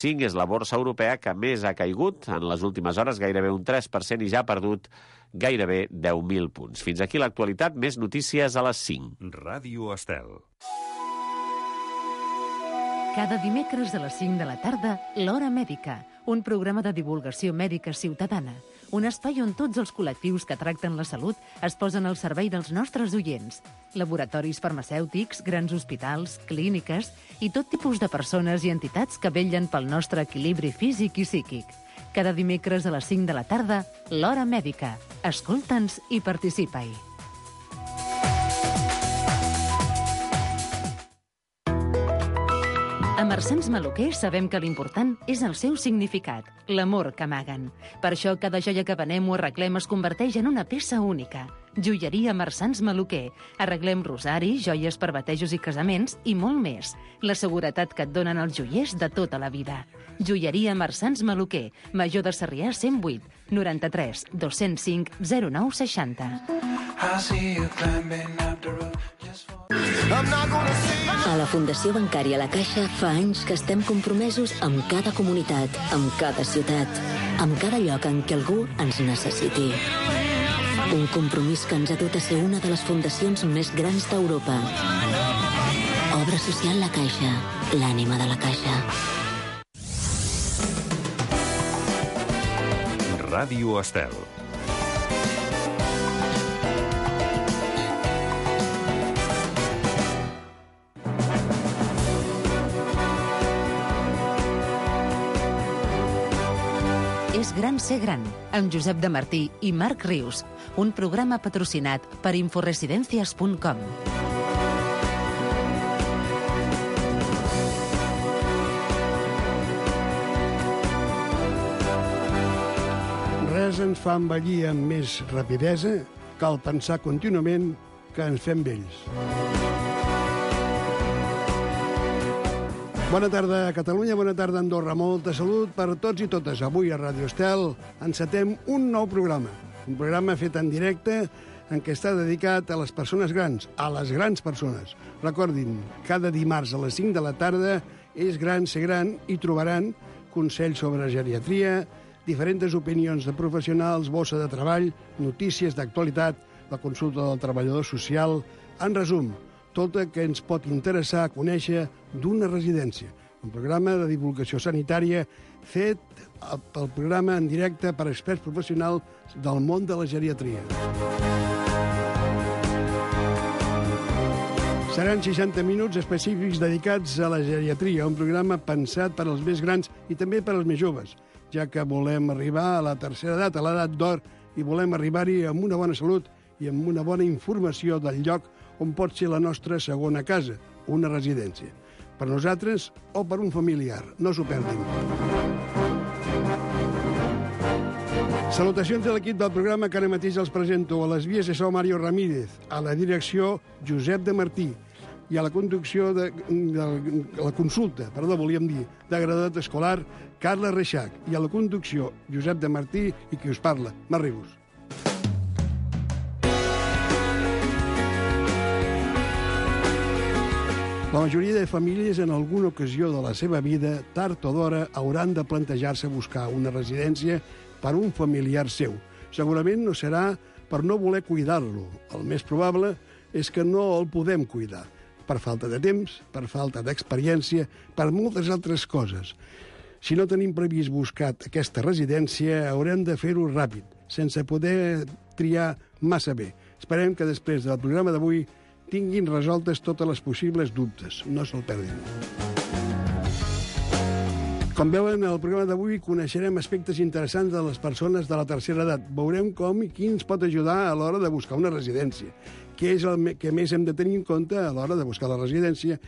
5 és la borsa europea que més ha caigut en les últimes hores, gairebé un 3%, i ja ha perdut gairebé 10.000 punts. Fins aquí l'actualitat, més notícies a les 5. Ràdio Estel. Cada dimecres a les 5 de la tarda, l'Hora Mèdica, un programa de divulgació mèdica ciutadana. Un espai on tots els col·lectius que tracten la salut es posen al servei dels nostres oients. Laboratoris farmacèutics, grans hospitals, clíniques i tot tipus de persones i entitats que vetllen pel nostre equilibri físic i psíquic. Cada dimecres a les 5 de la tarda, l'Hora Mèdica. Escolta'ns i participa-hi. A Marsans Maluquer sabem que l'important és el seu significat, l'amor que amaguen. Per això cada joia que venem o arreglem es converteix en una peça única. Joieria Marsans Maluquer. Arreglem rosari, joies per batejos i casaments i molt més. La seguretat que et donen els joiers de tota la vida. Joieria Marsans Maluquer. Major de Sarrià 108 93 205 09 60. A la Fundació Bancària La Caixa fa anys que estem compromesos amb cada comunitat, amb cada ciutat, amb cada lloc en què algú ens necessiti. Un compromís que ens ha dut a ser una de les fundacions més grans d'Europa. Obra social La Caixa, l'ànima de la Caixa. Ràdio Estel. És gran ser gran, amb Josep de Martí i Marc Rius, un programa patrocinat per inforesidencias.com. Res ens fa envellir amb més rapidesa, cal pensar contínuament que ens fem vells. Bona tarda a Catalunya, bona tarda a Andorra. Molta salut per tots i totes. Avui a Ràdio Estel encetem un nou programa. Un programa fet en directe en què està dedicat a les persones grans, a les grans persones. Recordin, cada dimarts a les 5 de la tarda és gran ser gran i trobaran consells sobre geriatria, diferents opinions de professionals, bossa de treball, notícies d'actualitat, la consulta del treballador social. En resum, tot el que ens pot interessar a conèixer d'una residència. Un programa de divulgació sanitària fet pel programa en directe per experts professionals del món de la geriatria. Seran 60 minuts específics dedicats a la geriatria, un programa pensat per als més grans i també per als més joves, ja que volem arribar a la tercera edat, a l'edat d'or, i volem arribar-hi amb una bona salut i amb una bona informació del lloc on pot ser la nostra segona casa, una residència. Per nosaltres o per un familiar. No s'ho perdin. Salutacions a l'equip del programa que ara mateix els presento. A les vies de so Mario Ramírez, a la direcció Josep de Martí i a la conducció de la consulta, volíem dir, de graduat escolar, Carla Reixac, i a la conducció Josep de Martí i qui us parla, Marc Rius. La majoria de famílies en alguna ocasió de la seva vida, tard o d'hora, hauran de plantejar-se buscar una residència per un familiar seu. Segurament no serà per no voler cuidar-lo. El més probable és que no el podem cuidar, per falta de temps, per falta d'experiència, per moltes altres coses. Si no tenim previst buscar aquesta residència, haurem de fer-ho ràpid, sense poder triar massa bé. Esperem que després del programa d'avui tinguin resoltes totes les possibles dubtes. No se'l perdin. Com veuen, al programa d'avui coneixerem aspectes interessants de les persones de la tercera edat. Veurem com i qui ens pot ajudar a l'hora de buscar una residència. Què és el que més hem de tenir en compte a l'hora de buscar la residència,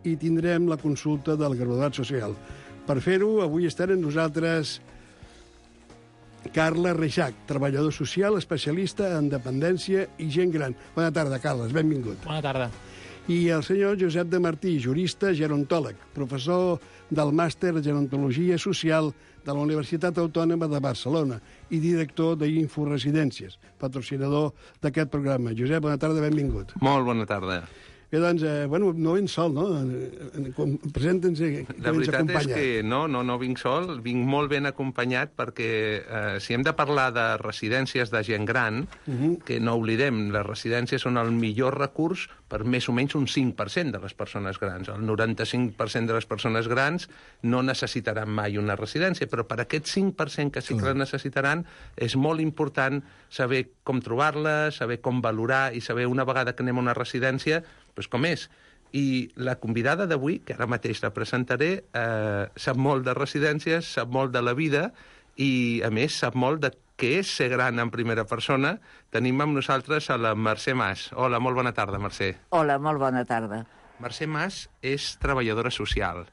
i tindrem la consulta del graduat social. Per fer-ho, avui estan amb nosaltres Carla Reixac, treballador social, especialista en dependència i gent gran. Bona tarda, Carles, benvingut. Bona tarda. I el senyor Josep de Martí, jurista, gerontòleg, professor del màster de gerontologia social de la Universitat Autònoma de Barcelona i director d'Inforesidències, patrocinador d'aquest programa. Josep, bona tarda, benvingut. Molt bona tarda. Bé, doncs, no vens sol, no? Presenta'ns que La vens veritat acompanyat. és que no vinc sol, vinc molt ben acompanyat perquè si hem de parlar de residències de gent gran, que no oblidem, les residències són el millor recurs per més o menys un 5% de les persones grans. El 95% de les persones grans no necessitaran mai una residència, però per aquest 5% que sí que la necessitaran és molt important saber com trobar-la, saber com valorar i saber una vegada que anem a una residència doncs com és. I la convidada d'avui, que ara mateix la presentaré, sap molt de residències, sap molt de la vida i, a més, sap molt de què és ser gran en primera persona. Tenim amb nosaltres a la Mercè Mas. Hola, molt bona tarda, Mercè. Hola, molt bona tarda. Mercè Mas és treballadora social,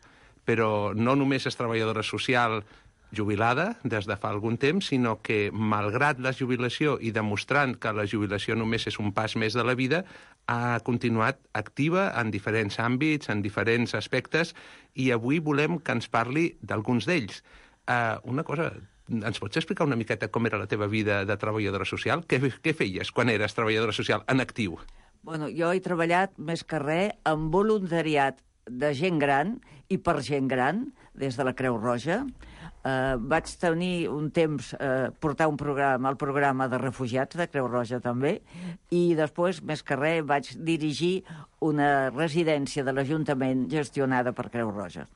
però no només és treballadora social jubilada des de fa algun temps, sinó que, malgrat la jubilació i demostrant que la jubilació només és un pas més de la vida, ha continuat activa en diferents àmbits, en diferents aspectes, i avui volem que ens parli d'alguns d'ells. Una cosa, ens pots explicar una miqueta com era la teva vida de treballadora social? Què feies quan eres treballadora social en actiu? Bueno, jo he treballat més que res en voluntariat de gent gran i per gent gran, des de la Creu Roja. Vaig tenir un temps portar el programa de refugiats de Creu Roja també, i després, més que res, vaig dirigir una residència de l'Ajuntament gestionada per Creu Roja.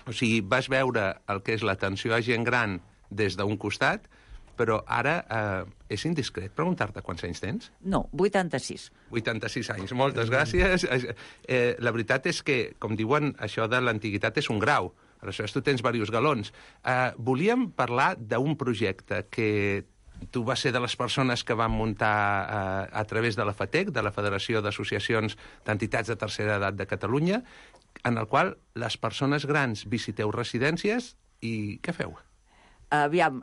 O sigui, vas veure el que és l'atenció a gent gran des d'un costat, però ara és indiscret preguntar-te quants anys tens? No, 86. 86 anys, moltes gràcies. La veritat és que, com diuen, això de l'antiguitat és un grau. Aleshores, tu tens diversos galons. Volíem parlar d'un projecte que tu vas ser de les persones que van muntar a través de la FATEC, de la Federació d'Associacions d'Entitats de Tercera Edat de Catalunya, en el qual les persones grans visiteu residències i què feu? Aviam,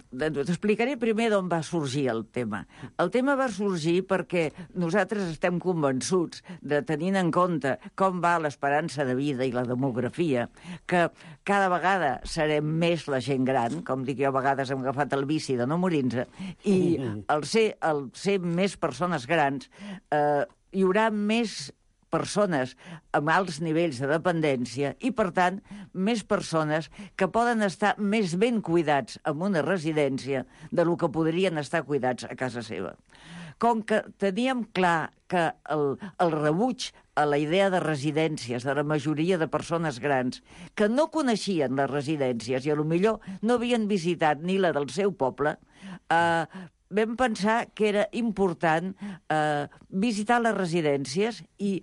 t'explicaré primer d'on va sorgir el tema. El tema va sorgir perquè nosaltres estem convençuts, tenint en compte com va l'esperança de vida i la demografia, que cada vegada serem més la gent gran, com dic jo, a vegades hem agafat el vici de no morir-nos, i al ser més persones grans hi haurà més persones amb alts nivells de dependència i, per tant, més persones que poden estar més ben cuidats en una residència de lo que podrien estar cuidats a casa seva. Com que teníem clar que el rebuig a la idea de residències de la majoria de persones grans que no coneixien les residències i potser no havien visitat ni la del seu poble, vam pensar que era important visitar les residències i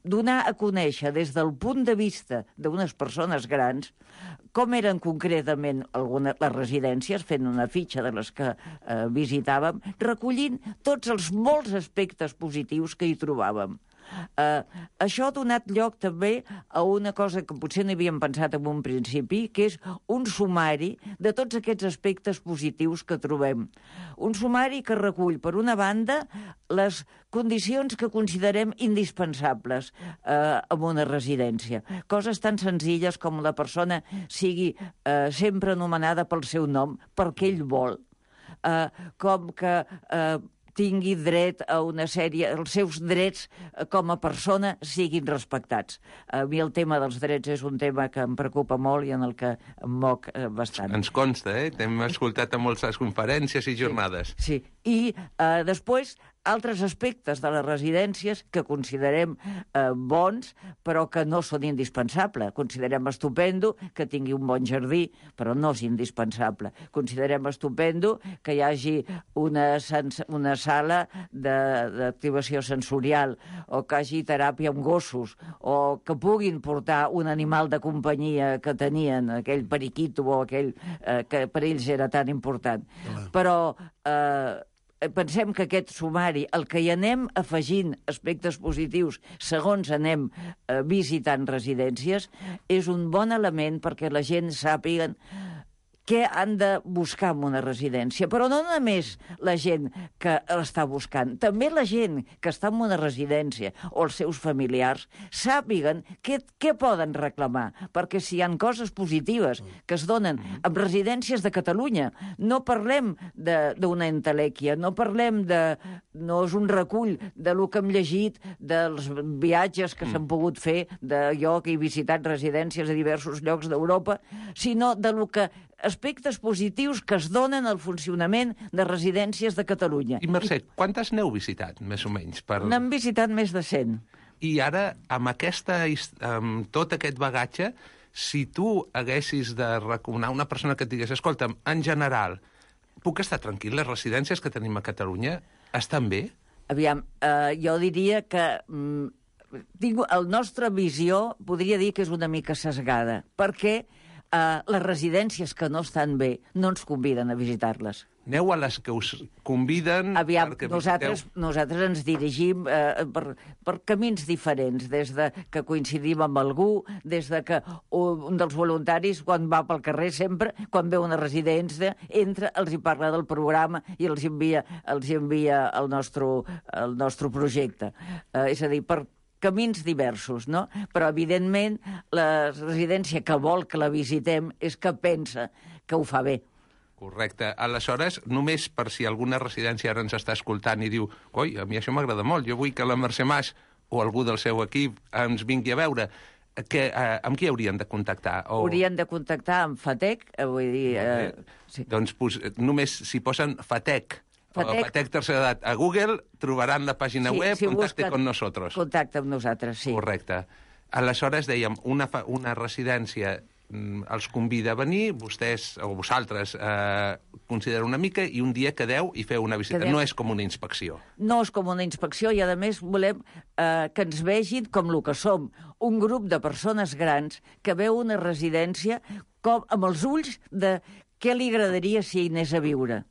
donar a conèixer des del punt de vista d'unes persones grans com eren concretament les residències, fent una fitxa de les que visitàvem, recollint tots els molts aspectes positius que hi trobàvem. Això ha donat lloc també a una cosa que potser no havíem pensat en un principi, que és un sumari de tots aquests aspectes positius que trobem. Un sumari que recull, per una banda, les condicions que considerem indispensables en una residència. Coses tan senzilles com la persona sigui sempre anomenada pel seu nom, perquè ell vol. Com que tingui dret a una sèrie, els seus drets com a persona siguin respectats. A mi el tema dels drets és un tema que em preocupa molt i en el que em moc bastant. Ens consta, T'hem escoltat a moltes conferències i jornades. Sí. I després, altres aspectes de les residències que considerem bons, però que no són indispensables. Considerem estupendo que tingui un bon jardí, però no és indispensable. Considerem estupendo que hi hagi una sala d'activació sensorial, o que hi hagi teràpia amb gossos, o que puguin portar un animal de companyia que tenien, aquell periquito o aquell que per ells era tan important. Però pensem que aquest sumari, el que hi anem afegint aspectes positius segons anem visitant residències, és un bon element perquè la gent sàpiga què han de buscar en una residència. Però no només la gent que l'està buscant, també la gent que està en una residència o els seus familiars sàpiguen què poden reclamar, perquè si hi ha coses positives que es donen en residències de Catalunya, no parlem d'una entelèquia, no és un recull de lo que hem llegit, dels viatges que s'han pogut fer, de jo que he visitat residències a diversos llocs d'Europa, sinó de lo que aspectes positius que es donen al funcionament de residències de Catalunya. I Mercè, quantes n'heu visitat, més o menys? N'hem visitat més de 100. I ara, amb tot aquest bagatge, si tu haguessis de recomanar una persona que et digués, escolta'm, en general, puc estar tranquil, les residències que tenim a Catalunya estan bé? Aviam, jo diria que la nostra visió podria dir que és una mica sesgada, perquè les residències que no estan bé no ens conviden a visitar-les. Aneu a les que us conviden... Aviam, nosaltres ens dirigim per camins diferents, des de que coincidim amb algú, des de que un dels voluntaris, quan va pel carrer sempre, quan veu una residència, entra, els hi parla del programa i els envia el nostre projecte. És a dir, per camins diversos, no? Però, evidentment, la residència que vol que la visitem és que pensa que ho fa bé. Correcte. Aleshores, només per si alguna residència ara ens està escoltant i diu «Oi, a mi això m'agrada molt, jo vull que la Mercè Mas o algú del seu equip ens vingui a veure», amb qui haurien de contactar? Haurien de contactar amb FATEC, vull dir... Sí. Doncs només si posen FATEC, FATEC Tercera Edat a Google, trobaran la pàgina web, contacte con nosotros. Contacte amb nosaltres, sí. Correcte. Aleshores, dèiem, una residència els convida a venir, vostès o vosaltres considereu una mica i un dia quedeu i feu una visita. No és com una inspecció. No és com una inspecció i, a més, volem que ens vegin com el que som, un grup de persones grans que veu una residència amb els ulls de què li agradaria si hi anés a viure.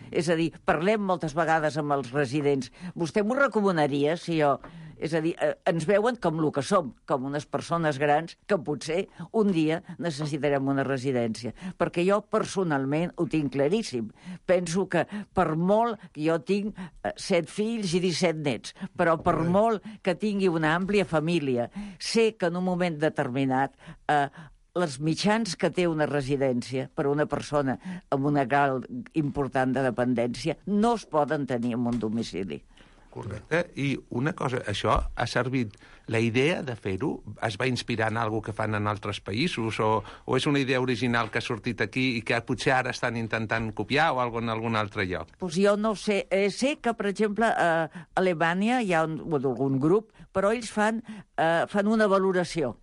És a dir, parlem moltes vegades amb els residents. Vostè m'ho recomanaria si jo... És a dir, ens veuen com el que som, com unes persones grans que potser un dia necessitarem una residència. Perquè jo personalment ho tinc claríssim. Penso que per molt que jo tinc 7 fills i 17 nets, però per molt que tingui una àmplia família, sé que en un moment determinat els mitjans que té una residència per a una persona amb una grau important de dependència no es poden tenir en un domicili. Correcte. I una cosa, això ha servit... La idea de fer-ho es va inspirar en alguna que fan en altres països o és una idea original que ha sortit aquí i que potser ara estan intentant copiar o en algun altre lloc? Pues jo no ho sé. Sé que, per exemple, a Alemanya hi ha algun grup, però ells fan una valoració.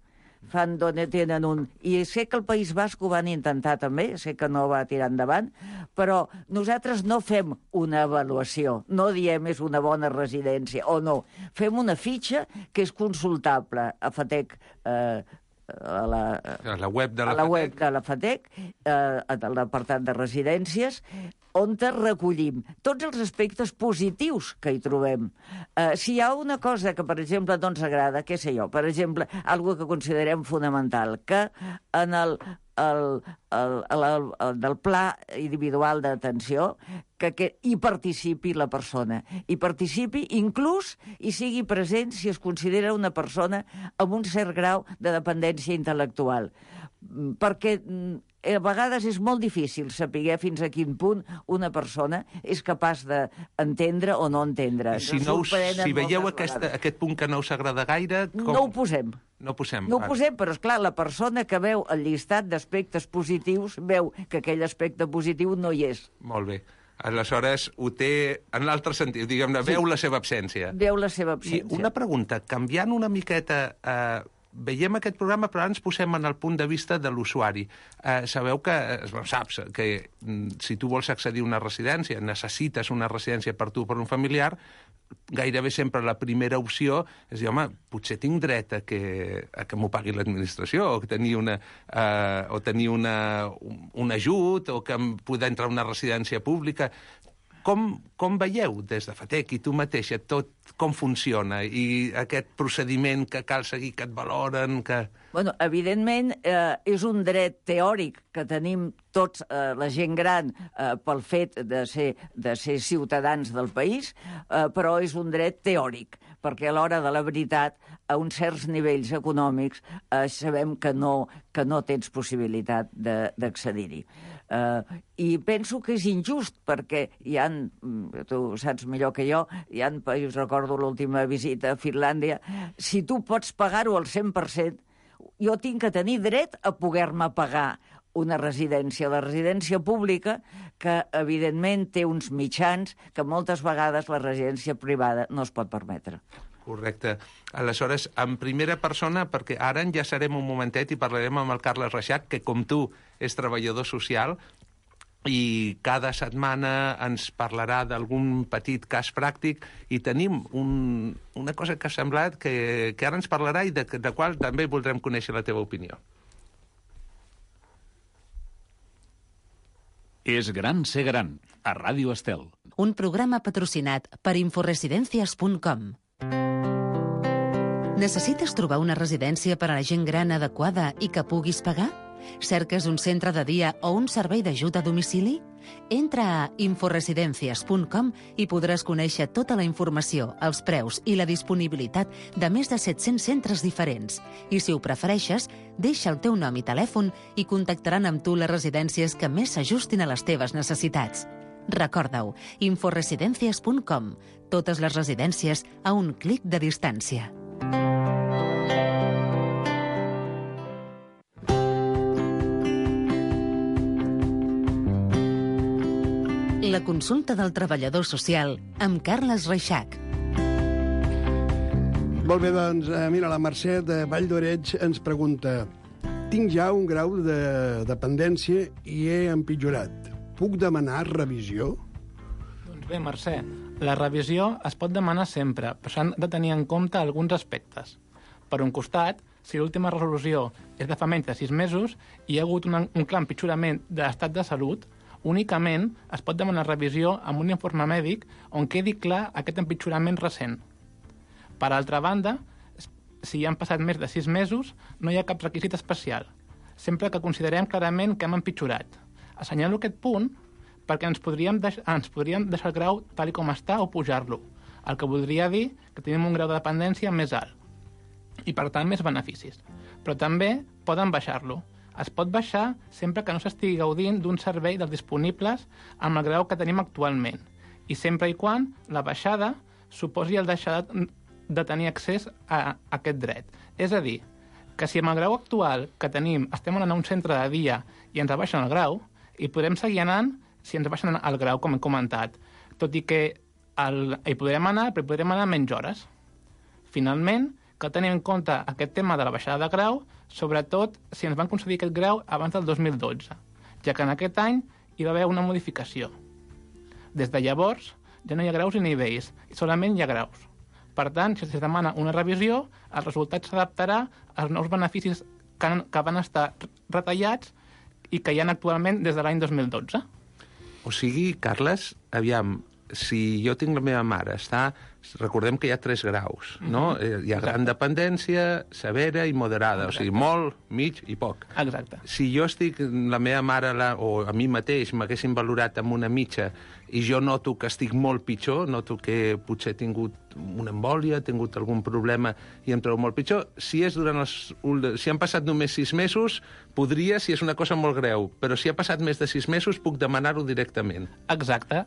Fan d'on tenen un... I sé que el País Basc ho van intentar també, sé que no va tirar endavant, però nosaltres no fem una avaluació, no diem és una bona residència o no. Fem una fitxa que és consultable a FATEC, a la web de la FATEC, a l'apartat de residències, on recollim tots els aspectes positius que hi trobem. Si hi ha una cosa que, per exemple, no ens agrada, què sé jo, per exemple, algo que considerem fonamental, que en del pla individual d'atenció, que hi participi la persona. Hi participi inclús i sigui present si es considera una persona amb un cert grau de dependència intel·lectual. Perquè a vegades és molt difícil saber fins a quin punt una persona és capaç d'entendre o no entendre. Si veieu aquest punt que no us agrada gaire... No ho posem. No ho posem. No ho posem, però, esclar, la persona que veu el llistat d'aspectes positius veu que aquell aspecte positiu no hi és. Molt bé. Aleshores, ho té en l'altre sentit, diguem-ne, veu la seva absència. Veu la seva absència. I una pregunta, canviant una miqueta... Veiem aquest programa, però ara ens posem en el punt de vista de l'usuari. Sabeu que, saps, que si tu vols accedir a una residència, necessites una residència per tu o per un familiar, gairebé sempre la primera opció és dir, home, potser tinc dret a que m'ho pagui l'administració, o tenir un ajut, o que em poder entrar a una residència pública. Com veieu des de Fatec i tu mateixa tot com funciona i aquest procediment que cal seguir, que et valoren, que... Bueno, evidentment, és un dret teòric que tenim tots, la gent gran, pel fet de ser ciutadans del país, però és un dret teòric, perquè a l'hora de la veritat, a uns certs nivells econòmics, sabem que no tens possibilitat d'accedir-hi. I penso que és injust, perquè tu saps millor que jo, recordo l'última visita a Finlàndia, si tu pots pagar-ho al 100%, jo tinc que tenir dret a poder-me pagar una residència. La residència pública, que evidentment té uns mitjans que moltes vegades la residència privada no es pot permetre. Correcte. Aleshores, en primera persona, perquè ara enllaçarem un momentet i parlarem amb el Carles Reixac, que com tu és treballador social, i cada setmana ens parlarà d'algun petit cas pràctic i tenim una cosa que ha semblat que ara ens parlarà i de qual també voldrem conèixer la teva opinió. És gran ser gran, a Ràdio Estel. Un programa patrocinat per inforesidencias.com. Necessites trobar una residència per a la gent gran adequada i que puguis pagar? Cerques un centre de dia o un servei d'ajut a domicili? Entra a inforesidencias.com i podràs conèixer tota la informació, els preus i la disponibilitat de més de 700 centres diferents. I si ho prefereixes, deixa el teu nom i telèfon i contactaran amb tu les residències que més s'ajustin a les teves necessitats. Recorda-ho, inforesidencias.com. Totes les residències a un clic de distància. La consulta del treballador social amb Carles Reixac. Molt bé, doncs, mira, la Mercè de Vall d'Oreig ens pregunta: tinc ja un grau de dependència i he empitjorat. Puc demanar revisió? Doncs bé, Mercè, la revisió es pot demanar sempre, però s'han de tenir en compte alguns aspectes. Per un costat, si l'última resolució és de fa menys de 6 mesos i hi ha hagut un clar empitjorament de l'estat de salut, únicament es pot demanar revisió amb un informe mèdic on quedi clar aquest empitjorament recent. Per altra banda, si ja han passat més de 6 mesos, no hi ha cap requisit especial, sempre que considerem clarament que hem empitjorat. Assenyalo aquest punt perquè ens podríem deixar el grau tal com està o pujar-lo, el que voldria dir que tenim un grau de dependència més alt i, per tant, més beneficis. Però també poden baixar-lo. Es pot baixar sempre que no s'estigui gaudint d'un servei dels disponibles amb el grau que tenim actualment i sempre i quan la baixada suposi el deixar de tenir accés a aquest dret. És a dir, que si amb el grau actual que tenim estem anant a un centre de dia i ens abaixen el grau, i podrem seguir anant si ens abaixen el grau, com he comentat, tot i que hi podrem anar, però hi podrem anar menys hores. Finalment, cal tenir en compte aquest tema de la baixada de grau, sobretot si ens van concedir aquest grau abans del 2012, ja que en aquest any hi va haver una modificació. Des de llavors, ja no hi ha graus i nivells, i solament hi ha graus. Per tant, si es demana una revisió, el resultat s'adaptarà als nous beneficis que van estar retallats i que hi ha actualment des de l'any 2012. O sigui, Carles, aviam, si jo tinc la meva mare, recordem que hi ha 3 graus, no? Hi ha gran dependència, severa i moderada, o sigui, molt, mig i poc. Exacte. Si jo estic, la meva mare o a mi mateix m'haguessin valorat amb una mitja i jo noto que estic molt pitjor, noto que potser he tingut una embòlia, he tingut algun problema i em trobo molt pitjor, si han passat només 6 mesos, podria, si és una cosa molt greu, però si ha passat més de 6 mesos, puc demanar-ho directament. Exacte.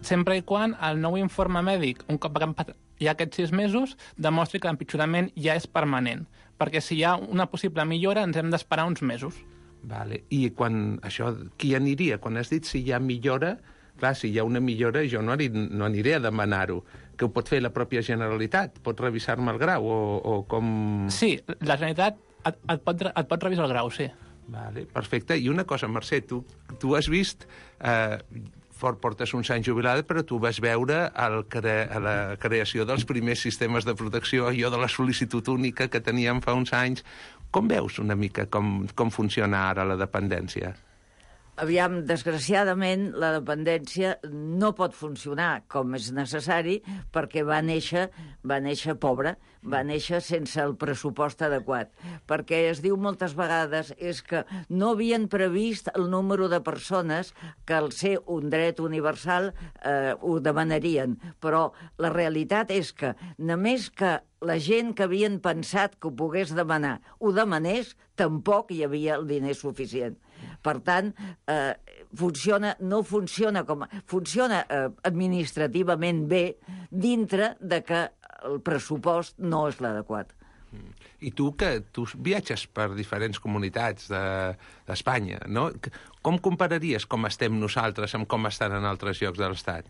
Sempre i quan el nou informe mèdic, un cop hi ha aquests 6 mesos, demostri que l'empitjorament ja és permanent, perquè si hi ha una possible millora ens hem d'esperar uns mesos. Vale. I quan això, qui aniria? Quan has dit si hi ha millora, clar, si hi ha una millora jo no aniré a demanar-ho, que ho pot fer la pròpia Generalitat, pot revisar-me el grau o com... Sí, la Generalitat et pot revisar el grau, sí. Vale, perfecte. I una cosa, Mercè, tu has vist... portes uns anys jubilada, però tu vas veure a la creació dels primers sistemes de protecció, allò de la sol·licitud única que teníem fa uns anys. Com veus una mica com funciona ara la dependència? Aviam, desgraciadament, la dependència no pot funcionar com és necessari perquè va néixer pobra, va néixer sense el pressupost adequat. Perquè es diu moltes vegades és que no havien previst el número de persones que al ser un dret universal ho demanarien. Però la realitat és que només que la gent que havien pensat que ho pogués demanar ho demanés, tampoc hi havia el diner suficient. Per tant, funciona administrativament bé dintre de que el pressupost no és l'adequat. I tu viatges per diferents comunitats d'Espanya, no? Com compararies com estem nosaltres amb com estan en altres llocs de l'Estat?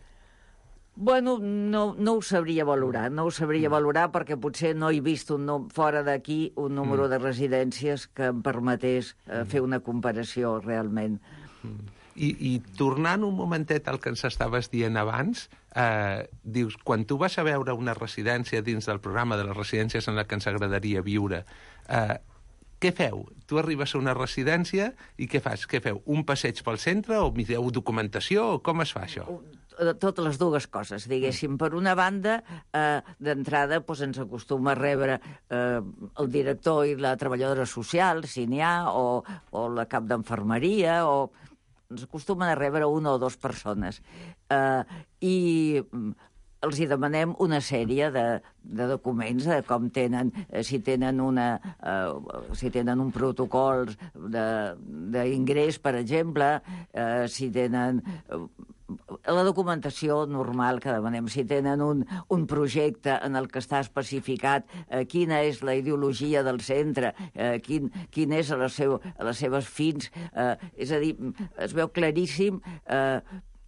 Bueno, no ho sabria valorar, perquè potser no he vist fora d'aquí un número de residències que em permetés fer una comparació realment. I tornant un momentet al que ens estaves dient abans, dius, quan tu vas a veure una residència dins del programa de les residències en la que ens agradaria viure, què feu? Tu arribes a una residència i què fas? Què feu? Un passeig pel centre o mireu documentació? O com es fa això? Totes les dues coses, diguéssim. Per una banda, d'entrada ens acostuma a rebre el director i la treballadora social, si n'hi ha, o la cap d'enfermeria, o ens acostumen a rebre una o dues persones. I els hi demanem una sèrie de documents, de com tenen, si tenen un protocol d'ingrés, per exemple, si tenen la documentació normal que demanem, si tenen un projecte en el que està especificat quina és la ideologia del centre, quin és a les seves fins, és a dir, es veu claríssim.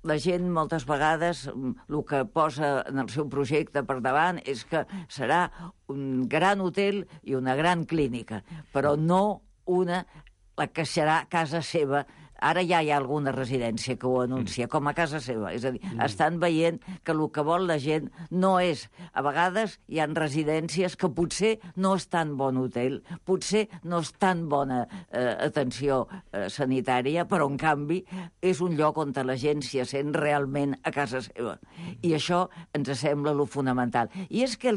La gent moltes vegades el que posa en el seu projecte per davant és que serà un gran hotel i una gran clínica, però no la que serà casa seva. Ara ja hi ha alguna residència que ho anuncia com a casa seva. És a dir, estan veient que el que vol la gent no és... A vegades hi ha residències que potser no és tan bon hotel, potser no és tan bona atenció sanitària, però en canvi és un lloc on la gent s'hi sent realment a casa seva. I això ens sembla lo fonamental. I és que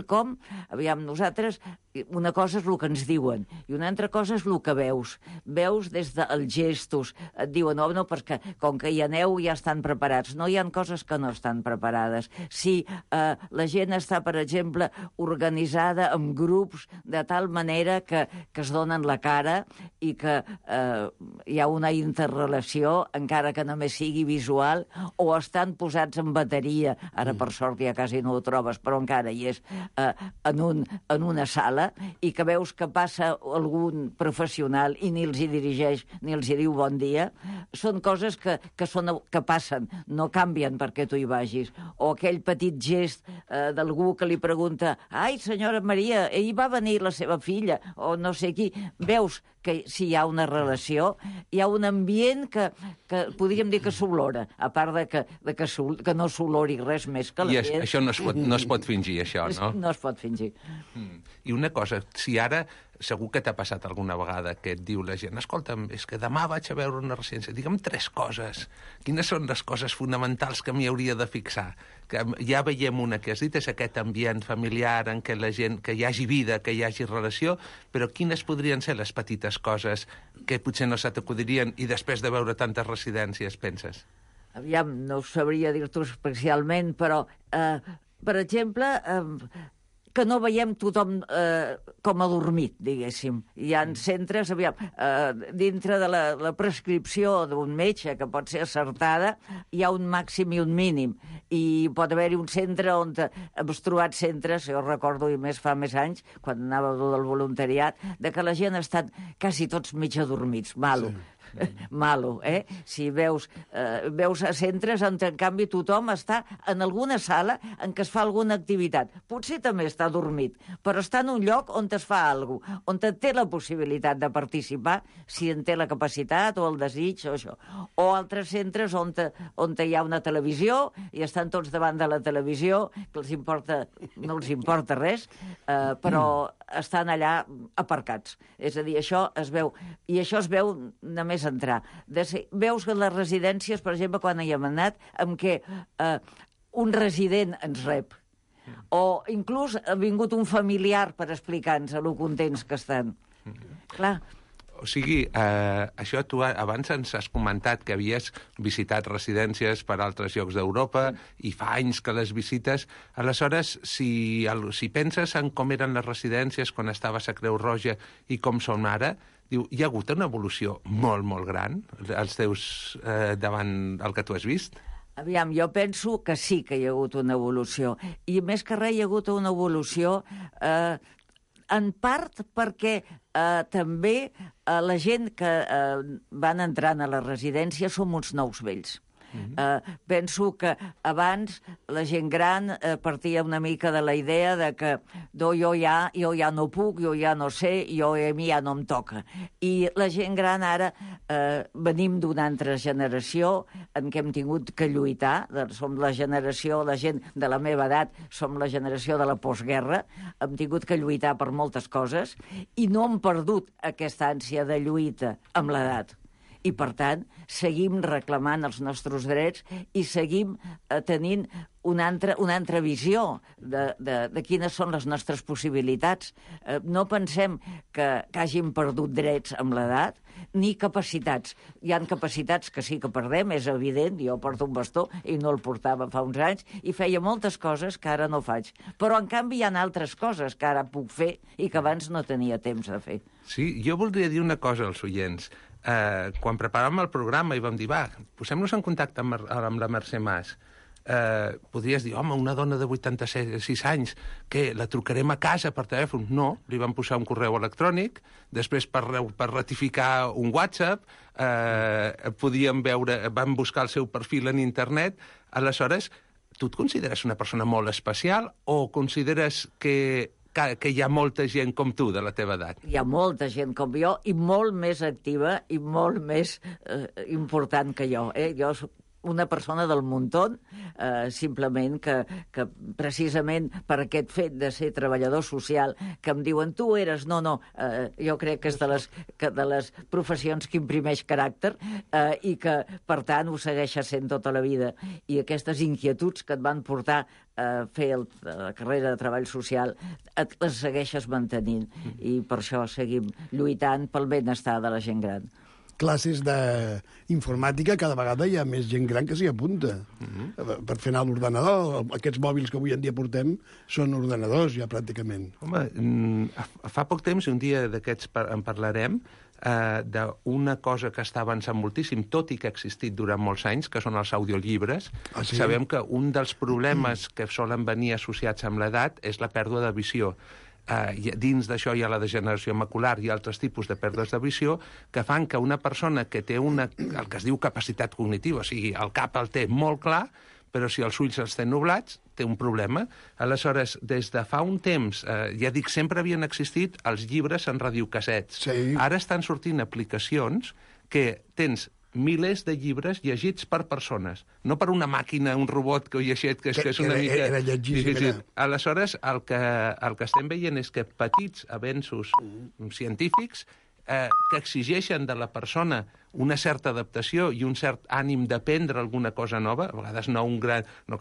aviam, nosaltres, una cosa és el que ens diuen i una altra cosa és el que veus. Veus des dels gestos, et diuen, no, perquè com que hi aneu ja estan preparats. No, hi ha coses que no estan preparades. Si la gent està, per exemple, organitzada en grups de tal manera que es donen la cara i que hi ha una interrelació, encara que només sigui visual, o estan posats en bateria, ara per sort ja quasi no ho trobes, però encara hi és, en una sala, i que veus que passa algun professional i ni els hi dirigeix ni els hi diu bon dia, són coses que passen, no canvien perquè tu hi vagis. O aquell petit gest d'algú que li pregunta, ai, senyora Maria, ahir va venir la seva filla, o no sé qui. Veus que si hi ha una relació, hi ha un ambient que podríem dir que s'olora, a part que no s'olori res més que l'ambient. I això no es pot fingir, això, no? No es pot fingir. I una cosa, si ara segur que t'ha passat alguna vegada que et diu la gent, escolta'm, és que demà vaig a veure una residència, digue'm 3 coses. Quines són les coses fonamentals que m'hi hauria de fixar? Que ja veiem una que has dit, és aquest ambient familiar en què la gent, que hi hagi vida, que hi hagi relació, però quines podrien ser les petites coses que potser no se t'acudirien i després de veure tantes residències penses? Aviam, no sabria dir-t'ho especialment, però, per exemple, que no veiem tothom com adormit, diguéssim. Hi ha centres, aviam, dintre de la prescripció d'un metge, que pot ser acertada, hi ha un màxim i un mínim. I pot haver-hi un centre on hem trobat centres, jo recordo, i més fa més anys, quan anava del voluntariat, de que la gent ha estat quasi tots mig adormits, malo. Sí. Malo, Si veus a centres on, en canvi, tothom està en alguna sala en què es fa alguna activitat. Potser també està dormit, però està en un lloc on es fa alguna cosa, on té la possibilitat de participar, si en té la capacitat o el desig o això. O altres centres on hi ha una televisió i estan tots davant de la televisió, que no els importa res, però estan allà aparcats. És a dir, això es veu. I això es veu només només entrar. Veus que les residències, per exemple, quan hi hem anat, en què un resident ens rep, o inclús ha vingut un familiar per explicar-nos lo contents que estan. Clar. O sigui, això tu abans ens has comentat que havies visitat residències per altres llocs d'Europa i fa anys que les visites. Aleshores, si penses en com eren les residències quan estaves a Creu Roja i com són ara, diu, hi ha hagut una evolució molt, molt gran davant el que tu has vist? Aviam, jo penso que sí que hi ha hagut una evolució. I més que res hi ha hagut una evolució en part perquè també la gent que van entrant a la residència som uns nous vells. Penso que abans la gent gran partia una mica de la idea de que jo ja no puc, jo ja no sé, a mi ja no em toca. I la gent gran ara venim d'una altra generació en què hem tingut que lluitar. Som la generació, la gent de la meva edat, som la generació de la postguerra, hem tingut que lluitar per moltes coses i no hem perdut aquesta ànsia de lluita amb l'edat. I, per tant, seguim reclamant els nostres drets i seguim tenint una altra visió de quines són les nostres possibilitats. No pensem que hàgim perdut drets amb l'edat ni capacitats. Hi ha capacitats que sí que perdem, és evident. Jo porto un bastó i no el portava fa uns anys i feia moltes coses que ara no faig. Però, en canvi, hi ha altres coses que ara puc fer i que abans no tenia temps de fer. Sí, jo voldria dir una cosa als oients. Quan preparàvem el programa i vam dir, posem-nos en contacte amb la Mercè Mas. Podries dir, home, una dona de 86 anys, que la trucarem a casa per telèfon? No, li vam posar un correu electrònic, després per ratificar un WhatsApp, vam buscar el seu perfil en internet. Aleshores, tu et consideres una persona molt especial o consideres que hi ha molta gent com tu, de la teva edat? Hi ha molta gent com jo i molt més activa i molt més important que jo. Jo soc una persona del muntó, simplement que precisament per aquest fet de ser treballador social, que em diuen, tu eres... No, jo crec que és de les professions que imprimeix caràcter i que, per tant, ho segueixes sent tota la vida. I aquestes inquietuds que et van portar a fer la carrera de treball social les segueixes mantenint. I per això seguim lluitant pel benestar de la gent gran. Classes d'informàtica, cada vegada hi ha més gent gran que s'hi apunta. Per fer anar l'ordenador. Aquests mòbils que avui en dia portem són ordenadors, ja, pràcticament. Home, fa poc temps, i un dia d'aquests en parlarem, d'una cosa que està avançant moltíssim, tot i que ha existit durant molts anys, que són els audiollibres. Sí? Sabem que un dels problemes que solen venir associats amb l'edat és la pèrdua de visió. Dins d'això hi ha la degeneració macular i altres tipus de pèrdues de visió que fan que una persona que té el que es diu capacitat cognitiva, o sigui, el cap el té molt clar, però si els ulls els té nublats, té un problema. Aleshores, des de fa un temps, ja dic, sempre havien existit els llibres en radiocassets. Sí. Ara estan sortint aplicacions que tens milers de llibres llegits per persones, no per una màquina, un robot que ho llegit, que és una mica... Era llegit. Aleshores, el que estem veient és que petits avenços científics que exigeixen de la persona una certa adaptació i un cert ànim d'aprendre alguna cosa nova, a vegades no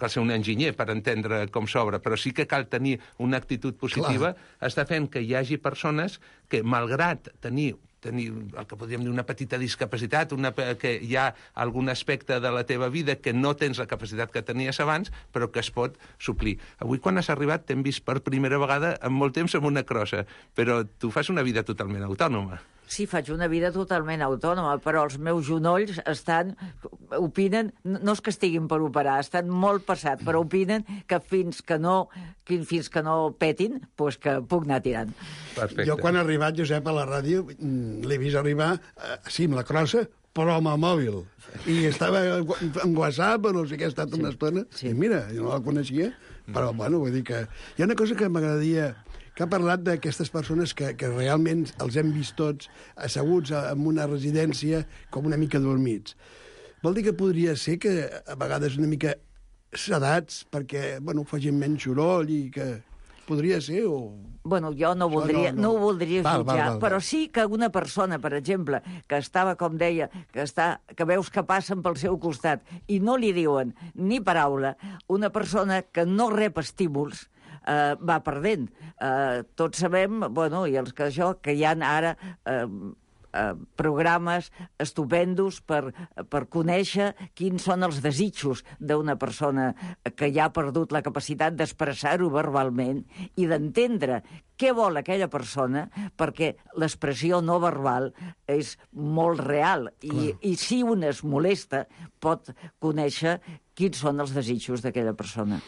cal ser un enginyer per entendre com s'obre, però sí que cal tenir una actitud positiva, està fent que hi hagi persones que, malgrat tenir el que podríem dir una petita discapacitat, que hi ha algun aspecte de la teva vida que no tens la capacitat que tenies abans, però que es pot suplir. Avui, quan has arribat, t'hem vist per primera vegada en molt temps amb una crossa, però tu fas una vida totalment autònoma. Sí, faig una vida totalment autònoma, però els meus genolls opinen, no és que estiguin per operar, estan molt passats, però opinen que fins que no petin, doncs que puc anar tirant. Perfecte. Jo, quan he arribat, Josep, a la ràdio, l'he vist arribar, sí, amb la crossa, però amb el mòbil. I estava en WhatsApp, o no sé què, ha estat una estona. I mira, jo no la coneixia, però, bueno, vull dir que... Hi ha una cosa que m'agradaria... que ha parlat d'aquestes persones que realment els hem vist tots asseguts en una residència com una mica dormits. Vol dir que podria ser que a vegades una mica sedats perquè, bueno, facin menys soroll i que... podria ser, o... Bueno, jo no ho voldria jutjar, però sí que una persona, per exemple, que estava, com deia, que veus que passen pel seu costat i no li diuen ni paraula, una persona que no rep estímuls, va perdent. Tots sabem, bueno, i els que hi ha ara programes estupendos per conèixer quins són els desitjos d'una persona que ja ha perdut la capacitat d'expressar-ho verbalment i d'entendre què vol aquella persona, perquè l'expressió no verbal és molt real i si un es molesta pot conèixer quins són els desitjos d'aquella persona.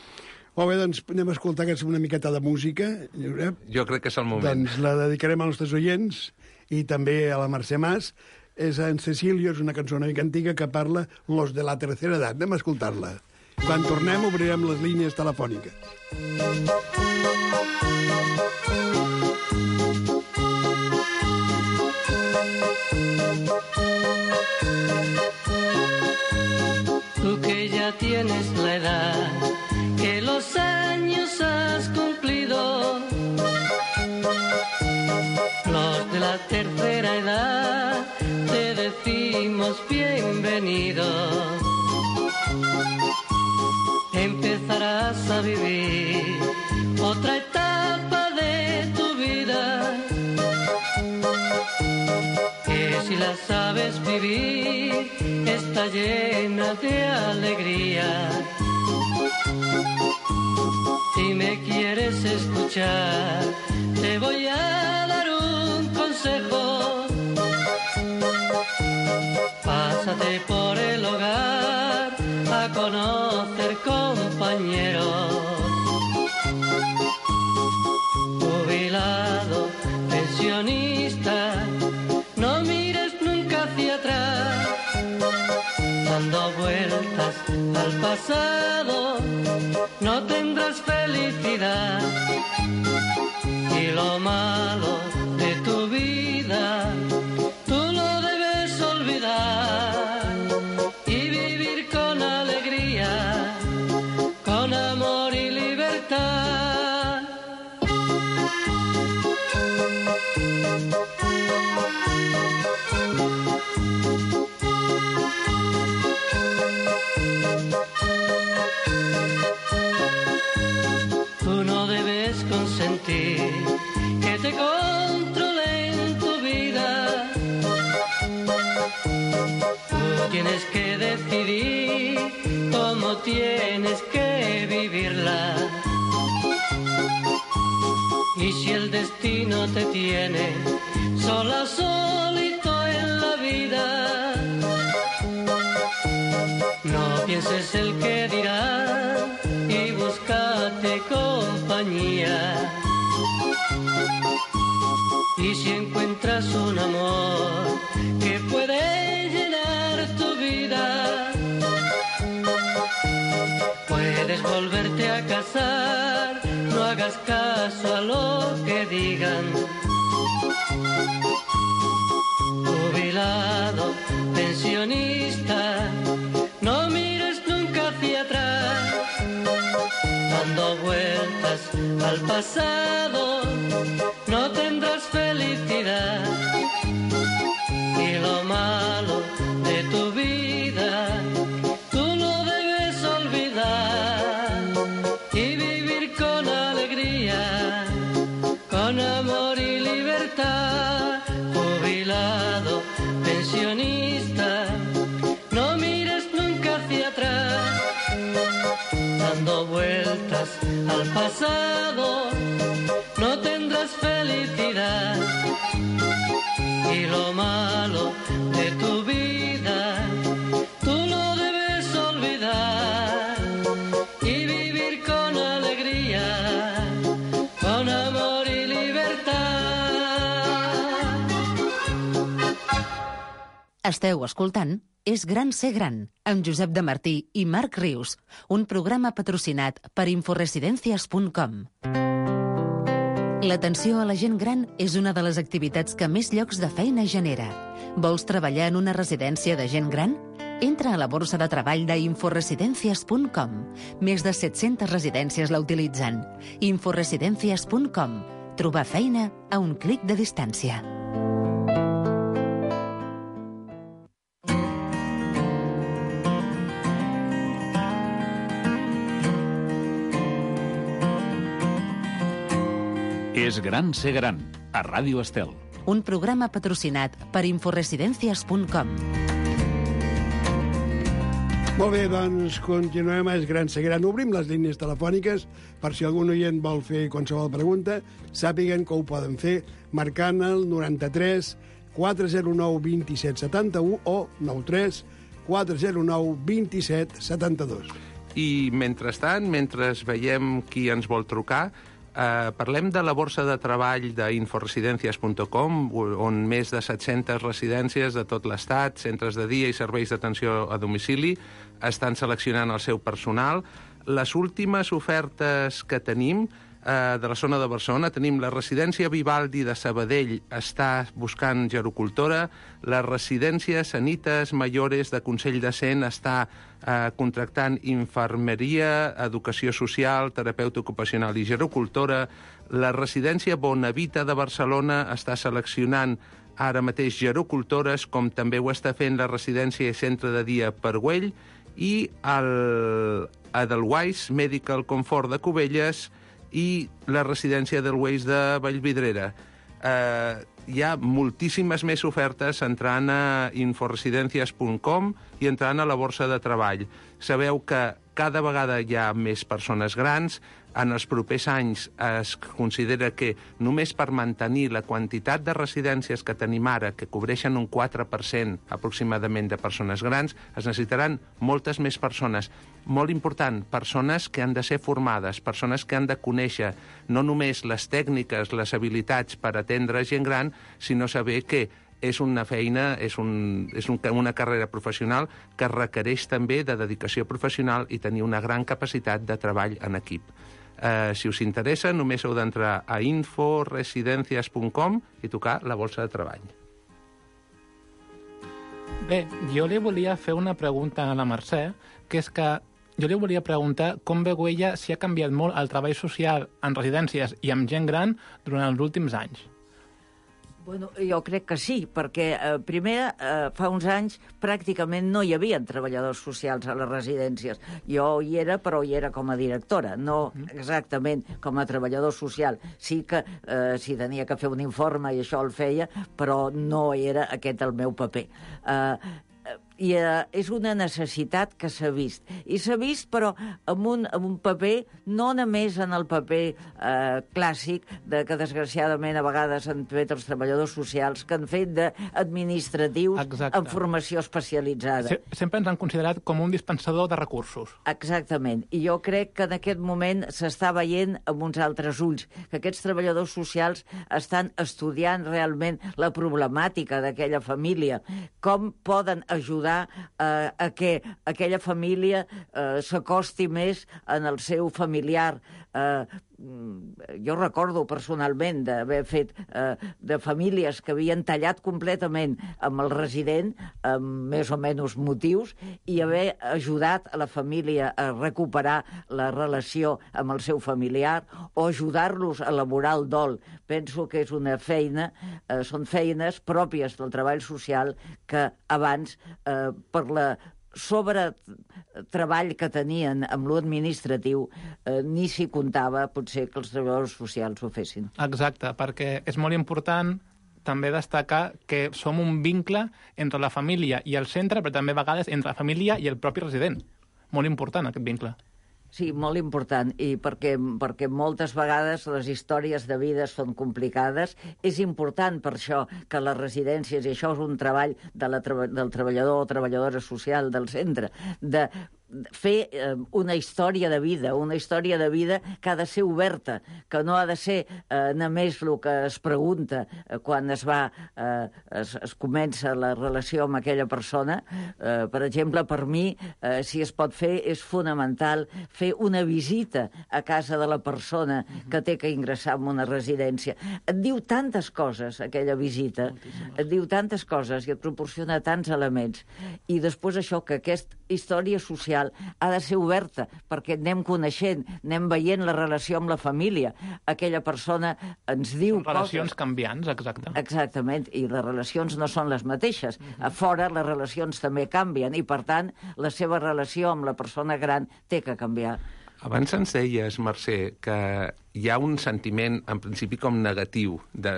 Molt bé, doncs anem a escoltar una miqueta de música, Josep. Jo crec que és el moment. Doncs la dedicarem als nostres oients i també a la Mercè Mas. És en Cecilio, és una cançó una mica antiga que parla los de la tercera edat. Anem a escoltar-la. Quan tornem obrirem les línies telefòniques. Tú que ya tienes la edad, que los años has cumplido, los de la tercera edad te decimos bienvenido. Empezarás a vivir otra etapa de tu vida, que si la sabes vivir está llena de alegría. Si me quieres escuchar, te voy a dar un consejo. Pásate por el hogar a conocer compañeros. Jubilado, pensionista, no mires nunca hacia atrás, dando vueltas al pasado no tendrás felicidad, y lo malo de tu vida tú lo debes olvidar y vivir con alegría, con amor y libertad. Consentir que te controlen tu vida. Tú tienes que decidir cómo tienes que vivirla. Y si el destino te tiene sola, solito en la vida, no pienses el que dirá y búscate compañía. Y si encuentras un amor que puede llenar tu vida, puedes volverte a casar, no hagas caso a lo que digan. Jubilado, pensionista, no mires nunca hacia atrás, dando vueltas al pasado no tendrás felicidad, y lo malo de tu vida tú lo debes olvidar y vivir con alegría, con amor y libertad. Jubilado, pensionista, no mires nunca hacia atrás, dando vueltas al pasado no tendrás felicidad, y lo malo de tu vida tú lo debes olvidar y vivir con alegría, con amor y libertad. Esteu escoltant És gran ser gran, amb Josep de Martí i Marc Rius, un programa patrocinat per inforesidencias.com. L'atenció a la gent gran és una de les activitats que més llocs de feina genera. Vols treballar en una residència de gent gran? Entra a la borsa de treball d'inforesidencias.com. Més de 700 residències la utilitzen. Inforesidencias.com. Trobar feina a un clic de distància. És gran ser gran, a Ràdio Estel. Un programa patrocinat per inforesidencias.com. Molt bé, doncs continuem a És gran ser gran. Obrim les línies telefòniques per si algun oient vol fer qualsevol pregunta, sàpiguen que ho poden fer marcant el 93 409 27 71 o 93 409 27 72. I mentrestant, mentre veiem qui ens vol trucar, parlem de la borsa de treball d'inforesidencias.com, on més de 700 residències de tot l'Estat, centres de dia i serveis d'atenció a domicili estan seleccionant el seu personal. Les últimes ofertes que tenim de la zona de Barcelona, tenim la residència Vivaldi de Sabadell està buscant gerocultora, la residència Sanitas Mayores de Consell de Cent està contractant infermeria, educació social, terapeuta ocupacional i gerocultora, la residència Bonavita de Barcelona està seleccionant ara mateix gerocultores, com també ho està fent la residència i centre de dia Pargüell, i el Edelweiss Medical Comfort de Cubelles i la residència Edelweiss de Vallvidrera. Hi ha moltíssimes més ofertes entrant a inforesidencias.com i entrant a la borsa de treball. Sabeu que cada vegada hi ha més persones grans. En els propers anys es considera que només per mantenir la quantitat de residències que tenim ara, que cobreixen un 4% aproximadament de persones grans, es necessitaran moltes més persones. Molt important, persones que han de ser formades, persones que han de conèixer no només les tècniques, les habilitats per atendre gent gran, sinó saber que és una feina, és una carrera professional que requereix també de dedicació professional i tenir una gran capacitat de treball en equip. Si us interessa, només heu d'entrar a inforesidencias.com i tocar la borsa de treball. Bé, jo li volia fer una pregunta a la Mercè, que és que jo li volia preguntar com veu ella si ha canviat molt el treball social en residències i amb gent gran durant els últims anys. Bueno, jo crec que sí, perquè primer, fa uns anys, pràcticament no hi havia treballadors socials a les residències. Jo hi era, però hi era com a directora, no exactament com a treballador social. Sí que si tenia que fer un informe i això el feia, però no era aquest el meu paper. I és una necessitat que s'ha vist. I s'ha vist, però, amb un paper, no només en el paper clàssic que, desgraciadament, a vegades han fet els treballadors socials, que han fet d'administratius en formació especialitzada. Sempre ens han considerat com un dispensador de recursos. Exactament. I jo crec que en aquest moment s'està veient amb uns altres ulls, que aquests treballadors socials estan estudiant realment la problemàtica d'aquella família, com poden ajudar a que aquella família s'acosti més en el seu familiar. Jo recordo personalment d'haver fet de famílies que havien tallat completament amb el resident, amb més o menys motius, i haver ajudat a la família a recuperar la relació amb el seu familiar o ajudar-los a elaborar el dol. Penso que és una feina, són feines pròpies del treball social que abans, per la treball que tenien amb l'administratiu, ni s'hi comptava, potser, que els treballadors socials ho fessin. Exacte, perquè és molt important també destacar que som un vincle entre la família i el centre, però també a vegades entre la família i el propi resident. Molt important, aquest vincle. Sí, molt important, i perquè moltes vegades les històries de vida són complicades. És important per això que les residències, i això és un treball del treballador o treballadora social del centre, de fer una història de vida que ha de ser oberta, que no ha de ser només el que es pregunta quan es comença la relació amb aquella persona. Per exemple, per mi, si es pot fer, és fonamental fer una visita a casa de la persona que té que ingressar en una residència. Et diu tantes coses, aquella visita, et diu tantes coses i et proporciona tants elements. I després això, que aquesta història social ha de ser oberta, perquè anem coneixent, anem veient la relació amb la família. Aquella persona ens diu coses... Relacions canviants, exacte. Exactament, i les relacions no són les mateixes. A fora les relacions també canvien, i per tant la seva relació amb la persona gran té que canviar. Abans ens deies, Mercè, que hi ha un sentiment, en principi, com negatiu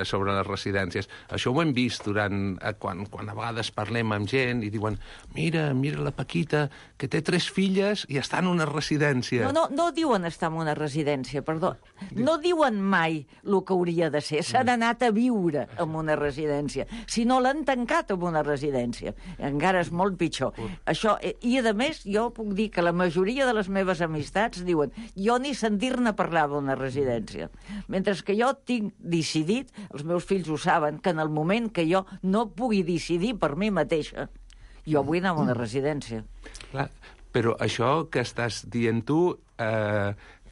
sobre les residències. Això ho hem vist quan a vegades parlem amb gent i diuen mira la Paquita, que té 3 filles i està en una residència. No diuen estar en una residència, perdó. No diuen mai el que hauria de ser. S'han anat a viure en una residència. Si no, l'han tancat en una residència. Encara és molt pitjor. Això, i, a més, jo puc dir que la majoria de les meves amistats diuen jo ni sentir-ne parlar d'una residència. Mentre que jo tinc decidit, els meus fills ho saben, que en el moment que jo no pugui decidir per mi mateixa, jo vull anar a una residència. Clar, però això que estàs dient tu,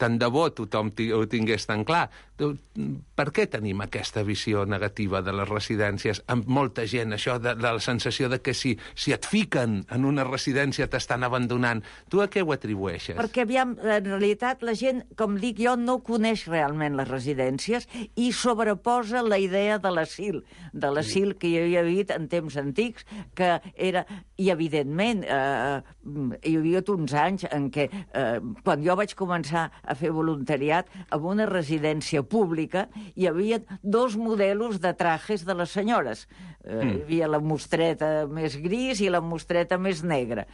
tant de bo tothom ho tingués tan clar. Per què tenim aquesta visió negativa de les residències? Amb molta gent, això de la sensació de que si et fiquen en una residència t'estan abandonant. Tu a què ho atribueixes? Perquè, aviam, en realitat, la gent, com dic jo, no coneix realment les residències i sobreposa la idea de l'asil que hi havia dit en temps antics, que era... I, evidentment, hi havia uns anys en què, quan jo vaig començar a fer voluntariat, en una residència pública hi havia 2 modelos de trajes de les senyores. Hi havia la mostreta més gris i la mostreta més negra.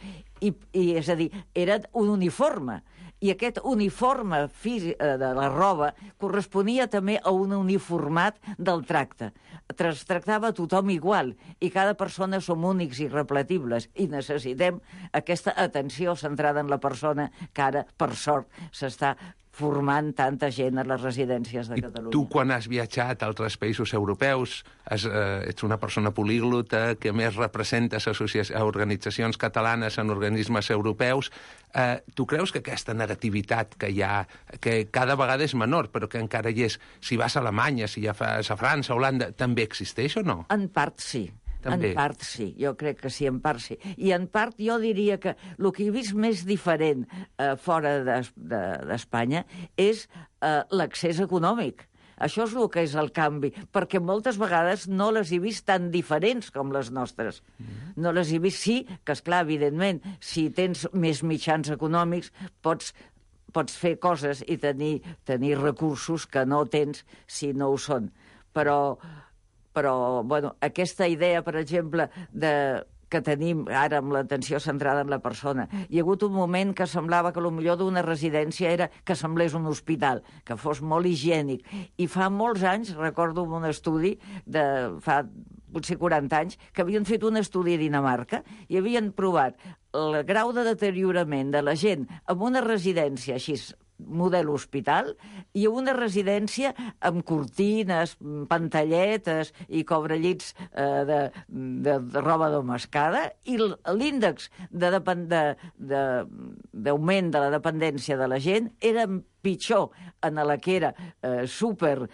I és a dir, era un uniforme. I aquest uniforme de la roba corresponia també a un uniformat del tracte. Es tractava a tothom igual, i cada persona som únics i irrepetibles, i necessitem aquesta atenció centrada en la persona que ara, per sort, s'està formant tanta gent a les residències de Catalunya. I tu, quan has viatjat a altres països europeus, ets una persona políglota que més representes organitzacions catalanes en organismes europeus, tu creus que aquesta negativitat que hi ha, que cada vegada és menor, però que encara hi és, si vas a Alemanya, si ja vas a França, a Holanda, també existeix o no? En part sí. També. En part sí, jo crec que sí, en part sí. I en part jo diria que el que he vist més diferent fora d'Espanya és l'accés econòmic. Això és el que és el canvi, perquè moltes vegades no les he vist tan diferents com les nostres. No les he vist, sí, que esclar, evidentment, si tens més mitjans econòmics, pots fer coses i tenir recursos que no tens si no ho són. Però bueno, aquesta idea, per exemple, que tenim ara amb l'atenció centrada en la persona. Hi ha hagut un moment que semblava que el millor d'una residència era que semblés un hospital, que fos molt higiènic. I fa molts anys, recordo un estudi, fa potser 40 anys, que havien fet un estudi a Dinamarca i havien provat el grau de deteriorament de la gent en una residència així, model hospital, i una residència amb cortines, pantalletes i cobrellits de roba domesticada, i l'índex d'augment de la dependència de la gent era pitjor en la que era super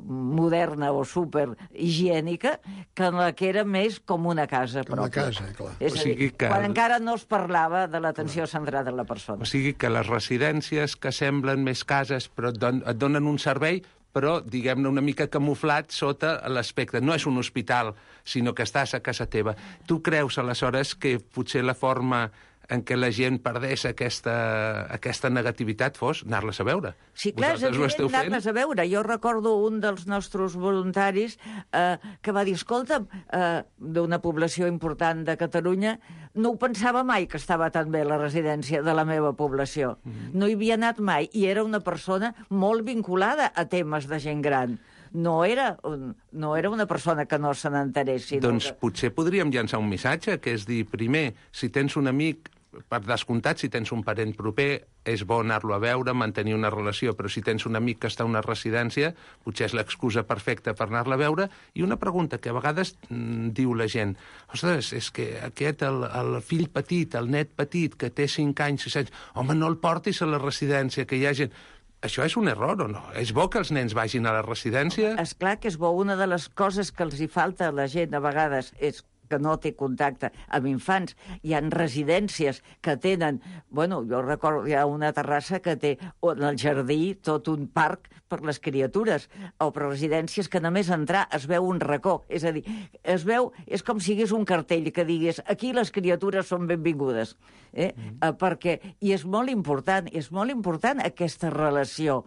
moderna o super higiènica que en la que era més com una casa pròpia. Com una casa, clar. És a dir, quan encara no es parlava de l'atenció centrada en la persona. O sigui que les residències que semblen més cases però et donen un servei, però, diguem-ne, una mica camuflat sota l'aspecte. No és un hospital, sinó que estàs a casa teva. Tu creus, aleshores, que potser la forma en què la gent perdés aquesta negativitat fos anar-les a veure? Sí, clar, és evident anar-les a veure. Jo recordo un dels nostres voluntaris que va dir, escolta, d'una població important de Catalunya, no ho pensava mai que estava tan bé la residència de la meva població. No hi havia anat mai, i era una persona molt vinculada a temes de gent gran. No era una persona que no se n'enterés. Doncs potser podríem llançar un missatge, que és dir, primer, si tens un amic, per descomptat, si tens un parent proper, és bo anar-lo a veure, mantenir una relació, però si tens un amic que està a una residència, potser és l'excusa perfecta per anar-la a veure. I una pregunta que a vegades diu la gent, ostres, és que aquest, el fill petit, el net petit, que té 5 anys, 6 anys, home, no el portis a la residència, que hi ha gent... Això és un error o no? És bo que els nens vagin a la residència? És clar que és bo. Una de les coses que els hi falta a la gent a vegades és que no té contacte amb infants. Hi ha residències que tenen... Bueno, jo recordo, hi ha una terrassa que té en el jardí tot un parc per les criatures, o per residències que només entrar es veu un racó. És a dir, es veu... És com si hi hagués un cartell que digués aquí les criatures són benvingudes. Perquè... I és molt important aquesta relació.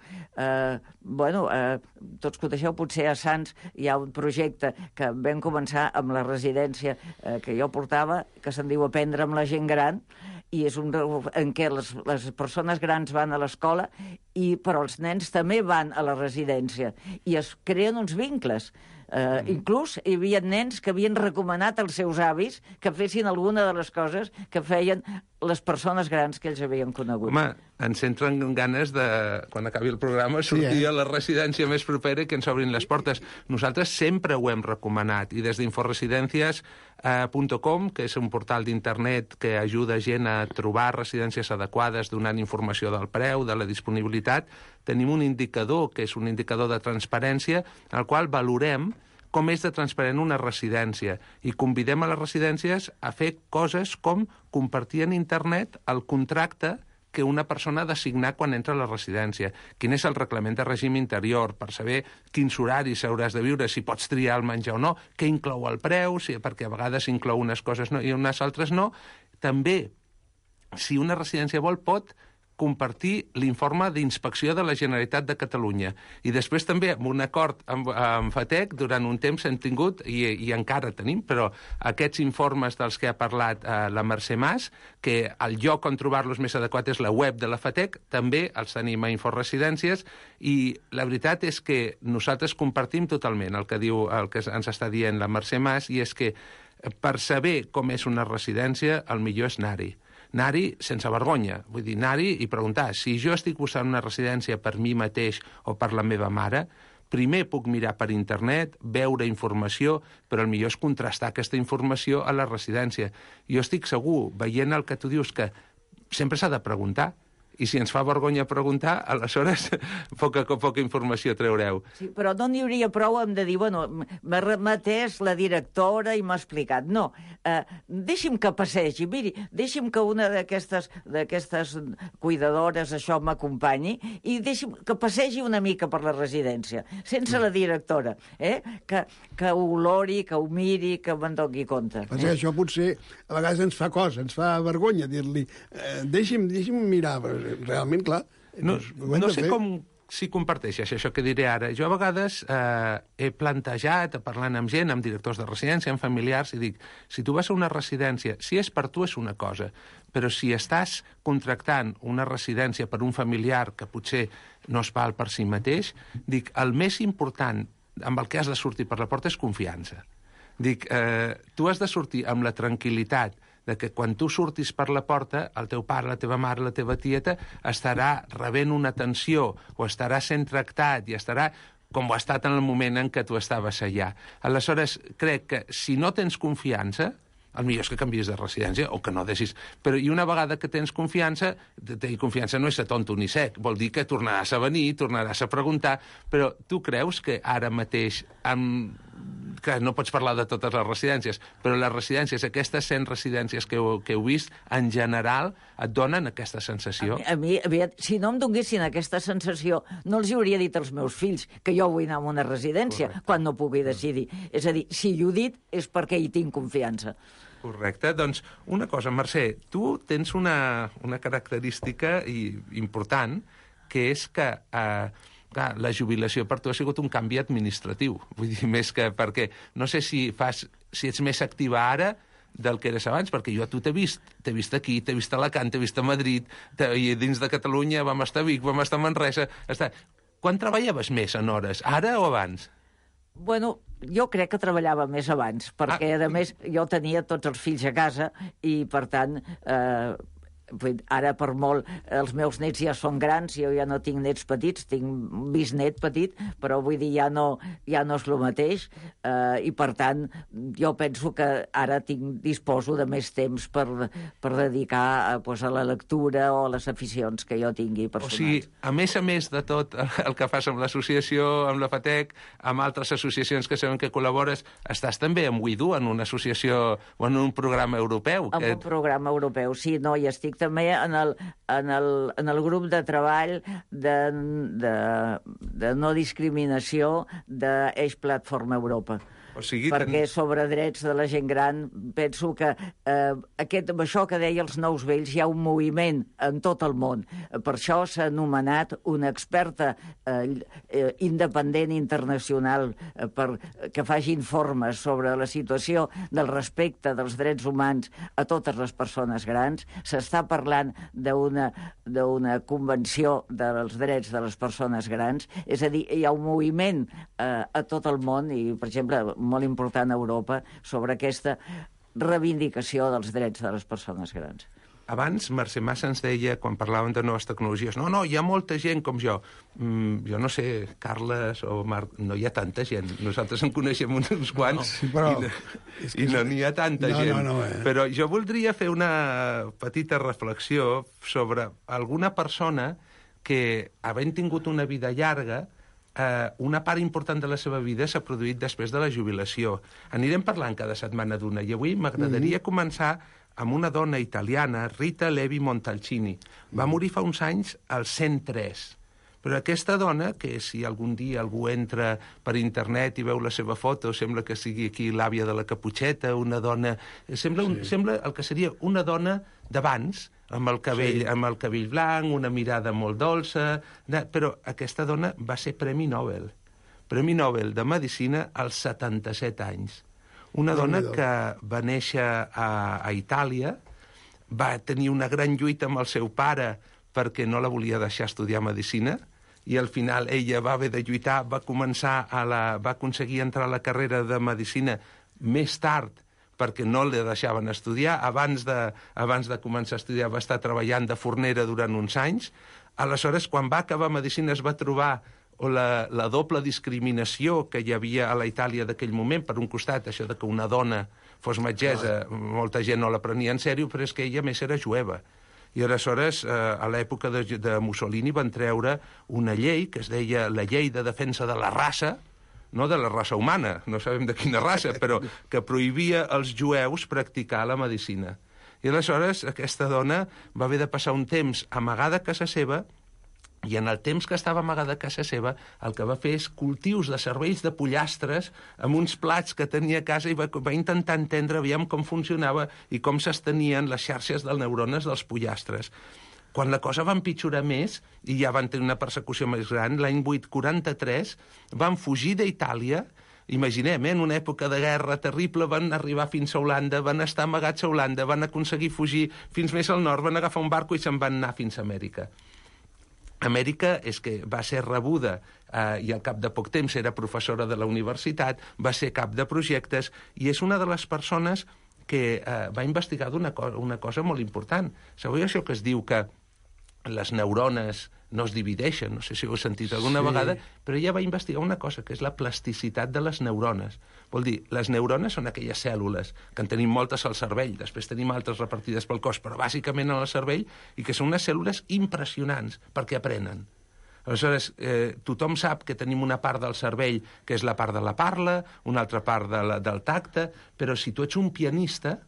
Tots coneixeu, potser a Sants hi ha un projecte que vam començar amb la residència que jo portava, que se'n diu Aprendre amb la gent gran, i és en què les persones grans van a l'escola, però els nens també van a la residència, i es creen uns vincles. Inclús hi havia nens que havien recomanat als seus avis que fessin alguna de les coses que feien les persones grans que ells havien conegut. Home, ens entren ganes de, quan acabi el programa, sortir a la residència més propera i que ens obrin les portes. Nosaltres sempre ho hem recomanat, i des d'inforesidencias.com, que és un portal d'internet que ajuda gent a trobar residències adequades, donant informació del preu, de la disponibilitat, tenim un indicador, que és un indicador de transparència, al qual valorem com és de transparent una residència, i convidem a les residències a fer coses com compartir en internet el contracte que una persona ha de signar quan entra a la residència. Quin és el reglament de règim interior, per saber quins horaris hauràs de viure, si pots triar el menjar o no, què inclou el preu, perquè a vegades inclou unes coses i unes altres no. També, si una residència vol, pot compartir l'informe d'inspecció de la Generalitat de Catalunya. I després també, amb un acord amb FATEC, durant un temps hem tingut, i encara tenim, però aquests informes dels que ha parlat la Mercè Mas, que el lloc on trobar-los més adequat és la web de la FATEC, també els tenim a Inforesidències, i la veritat és que nosaltres compartim totalment el que ens està dient la Mercè Mas, i és que per saber com és una residència, el millor és anar-hi. Anar-hi sense vergonya, vull dir, anar-hi i preguntar, si jo estic buscant una residència per mi mateix o per la meva mare, primer puc mirar per internet, veure informació, però el millor és contrastar aquesta informació a la residència. Jo estic segur, veient el que tu dius, que sempre s'ha de preguntar, i si ens fa vergonya preguntar, aleshores poca informació treureu. Sí, però no n'hi hauria prou amb de dir, bueno, m'ha remetès la directora i m'ha explicat. No, deixi'm que passegi, miri, deixi'm que una d'aquestes cuidadores això m'acompanyi i deixi'm que passegi una mica per la residència, sense la directora, que ho olori, que ho miri, que me'n doni compte. Això potser a vegades ens fa cosa, ens fa vergonya dir-li, deixi'm mirar, realment, clar. No sé si comparteixes això que diré ara. Jo a vegades he plantejat, parlant amb gent, amb directors de residència, amb familiars, i dic, si tu vas a una residència, si és per tu és una cosa, però si estàs contractant una residència per un familiar que potser no es val per si mateix, dic, el més important amb el que has de sortir per la porta és confiança. Dic, tu has de sortir amb la tranquil·litat de que quan tu surtis per la porta, el teu pare, la teva mare, la teva tieta, estarà rebent una atenció o estarà sent tractat i estarà com ho ha estat en el moment en què tu estaves allà. Aleshores, crec que si no tens confiança, el millor és que canvies de residència o que no deixis. Però i una vegada que tens confiança, tenir confiança no és ser tonto ni sec, vol dir que tornaràs a venir, tornaràs a preguntar, però tu creus que ara mateix, que no pots parlar de totes les residències, però les residències, aquestes 100 residències que heu vist, en general, et donen aquesta sensació? A mi, si no em donessin aquesta sensació, no els hi hauria dit als meus fills que jo vull anar a una residència. Correcte. Quan no pugui decidir. És a dir, si hi ho dit és perquè hi tinc confiança. Correcte. Doncs una cosa, Mercè, tu tens una característica important, que és que la jubilació per tu ha sigut un canvi administratiu. Vull dir, més que perquè... No sé si ets més activa ara del que eres abans, perquè jo a tu t'he vist aquí, t'he vist a Alacant, t'he vist a Madrid, i dins de Catalunya vam estar a Vic, vam estar a Manresa... Quan treballaves més en hores, ara o abans? Bueno, jo crec que treballava més abans, perquè, a més, jo tenia tots els fills a casa i, per tant, Ara, per molt, els meus nets ja són grans, jo ja no tinc nets petits, tinc un bisnet petit, però vull dir, ja no és el mateix, i per tant, jo penso que ara disposo de més temps per dedicar a la lectura o a les aficions que jo tingui personals. O sigui, a més de tot el que fas amb l'associació, amb la FATEC, amb altres associacions que sabem que col·labores, estàs també amb WeDo, en una associació o en un programa europeu. En un programa europeu, sí, no, i estic també en el grup de treball de no discriminació d'Eix Platforma Europa. O sigui, perquè sobre drets de la gent gran penso que amb això que deia els nous vells hi ha un moviment en tot el món. Per això s'ha anomenat una experta independent internacional que faci informes sobre la situació del respecte dels drets humans a totes les persones grans. S'està parlant d'una convenció dels drets de les persones grans. És a dir, hi ha un moviment a tot el món i, per exemple, molt important a Europa, sobre aquesta reivindicació dels drets de les persones grans. Abans, Mercè Massa ens deia, quan parlàvem de noves tecnologies, no, hi ha molta gent com jo. Jo no sé, Carles o Marc, no hi ha tanta gent. Nosaltres en coneixem uns quants i no n'hi ha tanta gent. Però jo voldria fer una petita reflexió sobre alguna persona que, havent tingut una vida llarga, una part important de la seva vida s'ha produït després de la jubilació. Anirem parlant cada setmana d'una, i avui m'agradaria començar amb una dona italiana, Rita Levi Montalcini. Va morir fa uns anys als 103. Però aquesta dona, que si algun dia algú entra per internet i veu la seva foto, sembla que sigui aquí l'àvia de la Caputxeta, una dona... Sembla el que seria una dona d'abans, amb el cabell blanc, una mirada molt dolça, però aquesta dona va ser Premi Nobel de Medicina als 77 anys. Una dona que va néixer a Itàlia, va tenir una gran lluita amb el seu pare perquè no la volia deixar estudiar Medicina, i al final ella va haver de lluitar, va aconseguir entrar a la carrera de Medicina més tard, perquè no la deixaven estudiar. Abans de començar a estudiar va estar treballant de fornera durant uns anys. Aleshores, quan va acabar Medicina, es va trobar la doble discriminació que hi havia a la Itàlia d'aquell moment. Per un costat, això de que una dona fos metgessa, molta gent no la prenia en sèrio, però és que ella més era jueva. I aleshores, a l'època de Mussolini, van treure una llei que es deia la Llei de Defensa de la Raça, no de la raça humana, no sabem de quina raça, però que prohibia als jueus practicar la medicina. I aleshores aquesta dona va haver de passar un temps amagada a casa seva, i en el temps que estava amagada a casa seva el que va fer és cultius de cervells de pollastres amb uns plats que tenia a casa, i va intentar entendre aviam com funcionava i com s'estenien les xarxes de neurones dels pollastres. Quan la cosa va empitjorar més, i ja van tenir una persecució més gran, l'any 843 van fugir d'Itàlia. Imaginem, en una època de guerra terrible, van arribar fins a Holanda, van estar amagats a Holanda, van aconseguir fugir fins més al nord, van agafar un barco i se'n van anar fins a Amèrica. Amèrica és que va ser rebuda i al cap de poc temps era professora de la universitat, va ser cap de projectes, i és una de les persones que va investigar una cosa molt important. Sabeu això que es diu que les neurones no es divideixen? No sé si ho heu sentit alguna vegada, però ella va investigar una cosa, que és la plasticitat de les neurones. Vol dir, les neurones són aquelles cèl·lules, que en tenim moltes al cervell, després tenim altres repartides pel cos, però bàsicament al cervell, i que són unes cèl·lules impressionants, perquè aprenen. Aleshores, tothom sap que tenim una part del cervell que és la part de la parla, una altra part del tacte, però si tu ets un pianista,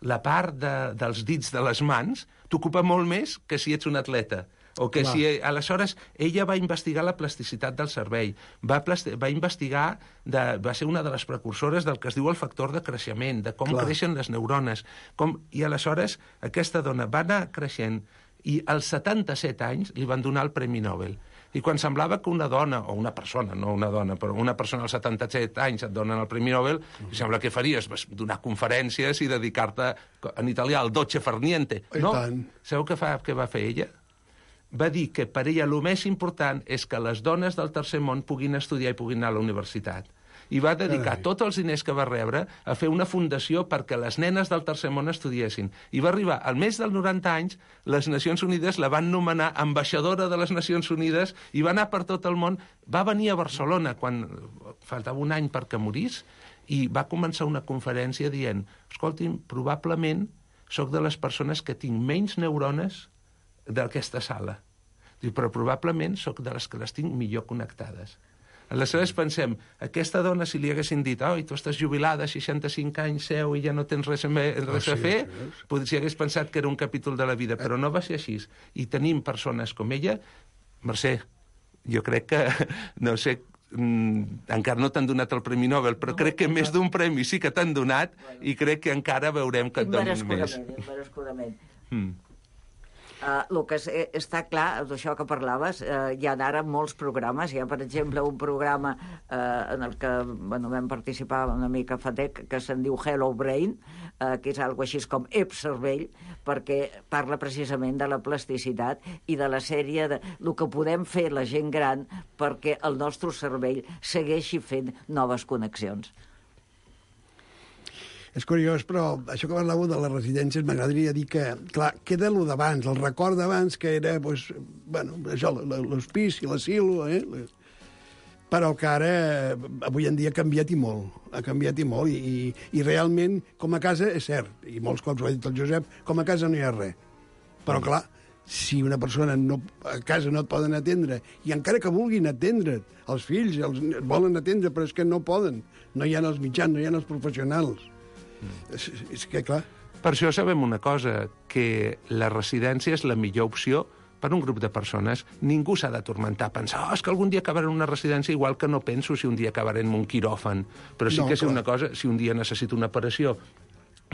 la part dels dits de les mans t'ocupa molt més que si ets un atleta. O que aleshores, ella va investigar la plasticitat del cervell, va investigar, va ser una de les precursores del que es diu el factor de creixement, de com creixen les neurones. I aleshores, aquesta dona va anar creixent, i als 77 anys li van donar el Premi Nobel. I quan semblava que una dona, o una persona, no una dona, però una persona als 77 anys et donen el Premi Nobel, sembla que faries donar conferències i dedicar-te, en italià, al dolce far niente. No? Sabeu què va fer ella? Va dir que per ella el més important és que les dones del tercer món puguin estudiar i puguin anar a la universitat. i va dedicar tots els diners que va rebre a fer una fundació perquè les nenes del Tercer Món estudiessin. I va arribar, al mes dels 90 anys, les Nacions Unides la van nomenar ambaixadora de les Nacions Unides i va anar per tot el món. Va venir a Barcelona quan faltava un any perquè morís i va començar una conferència dient: escolti'm, probablement soc de les persones que tinc menys neurones d'aquesta sala. Però probablement soc de les que les tinc millor connectades. Aleshores pensem, aquesta dona, si li haguessin dit tu estàs jubilada, 65 anys, seu i ja no tens res a fer, si hagués pensat que era un capítol de la vida, però no va ser així. I tenim persones com ella. Mercè, jo crec que, no sé, encara no t'han donat el Premi Nobel, però crec que més d'un premi sí que t'han donat i crec que encara veurem que et donin més. Merescudament. El que està clar, d'això que parlaves, hi ha ara molts programes. Hi ha, per exemple, un programa en el que vam participar una mica fa temps, que se'n diu Hello Brain, que és algo així com Ep Cervell, perquè parla precisament de la plasticitat i de la sèrie de el que podem fer la gent gran perquè el nostre cervell segueixi fent noves connexions. És curiós, però això que parlàveu de les residències m'agradaria dir que, clar, queda el d'abans, el record d'abans, que era, doncs, bueno, això, l'hospici, l'asilo, però que ara, avui en dia, ha canviat i molt, i realment, com a casa, és cert, i molts cops ho ha dit el Josep, com a casa no hi ha res. Però, clar, si una persona a casa no et poden atendre, i encara que vulguin atendre't, els fills volen atendre, però és que no poden, no hi ha els mitjans, no hi ha els professionals. És que, clar... Per això sabem una cosa, que la residència és la millor opció per un grup de persones. Ningú s'ha de tormentar a pensar és que algun dia acabaré en una residència, igual que no penso si un dia acabaré en un quiròfan. Però sí que sé una cosa, si un dia necessito una operació,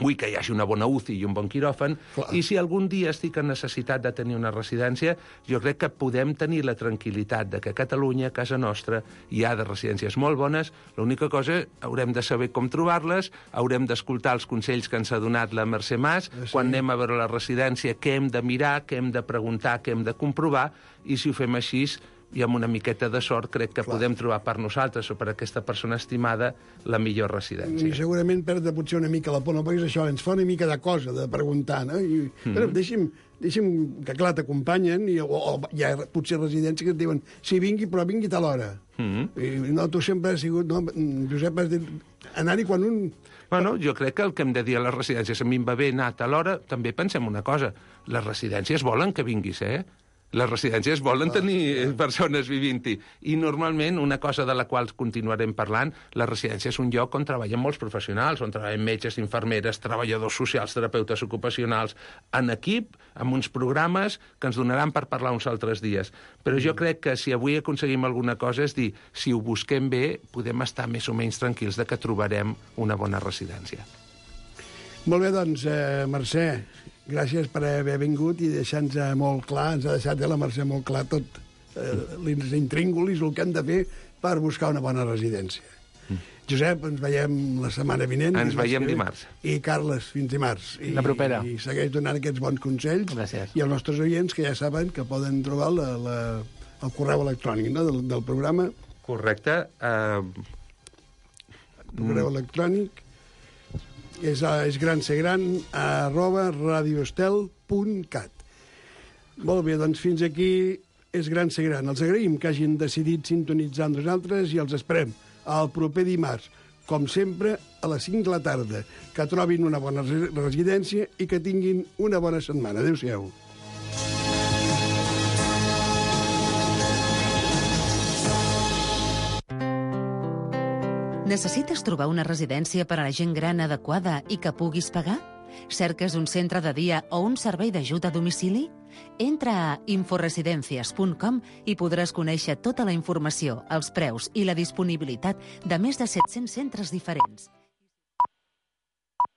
vull que hi hagi una bona UCI i un bon quiròfan, i si algun dia estic en necessitat de tenir una residència, jo crec que podem tenir la tranquil·litat de que a Catalunya, a casa nostra, hi ha de residències molt bones. L'única cosa, haurem de saber com trobar-les, haurem d'escoltar els consells que ens ha donat la Mercè Mas, quan anem a veure la residència, què hem de mirar, què hem de preguntar, què hem de comprovar, i si ho fem així, i amb una miqueta de sort crec que podem trobar per nosaltres o per aquesta persona estimada la millor residència. I segurament perdre potser una mica la por, no? Perquè això ens fa una mica de cosa de preguntar, no? Però deixi'm que, clar, t'acompanyen, o hi ha potser residències que et diuen sí, vingui, però vingui a tal hora. I no, tu sempre has sigut... No, Josep, has dit anar-hi quan un... Bueno, jo crec que el que hem de dir a les residències, a mi em va bé anar a tal hora, també pensem una cosa, les residències volen que vinguis, Les residències volen tenir persones vivint-hi. I normalment, una cosa de la qual continuarem parlant, la residència és un lloc on treballen molts professionals, on treballen metges, infermeres, treballadors socials, terapeutes ocupacionals, en equip, amb uns programes que ens donaran per parlar uns altres dies. Però jo crec que si avui aconseguim alguna cosa és dir, si ho busquem bé, podem estar més o menys tranquils de que trobarem una bona residència. Molt bé, doncs, Mercè, gràcies per haver vingut i deixar-nos molt clar, ens ha deixat la Mercè molt clar tot l'intríngulis, el que hem de fer per buscar una bona residència. Josep, ens veiem la setmana vinent. Ens veiem dimarts. I Carles, fins dimarts. La propera. I segueix donant aquests bons consells. Gràcies. I els nostres oients, que ja saben que poden trobar el correu electrònic, no?, del programa. Correcte. El correu electrònic és gransegran@radioestel.cat. Molt bé, doncs fins aquí és Gran Ser Gran. Els agraïm que hagin decidit sintonitzar amb nosaltres i els esperem el proper dimarts, com sempre, a les 5 de la tarda. Que trobin una bona residència i que tinguin una bona setmana. Adéu-siau. Necessites trobar una residència per a la gent gran adequada i que puguis pagar? Cerques un centre de dia o un servei d'ajuda a domicili? Entra a inforesidencias.com i podràs conèixer tota la informació, els preus i la disponibilitat de més de 700 centres diferents.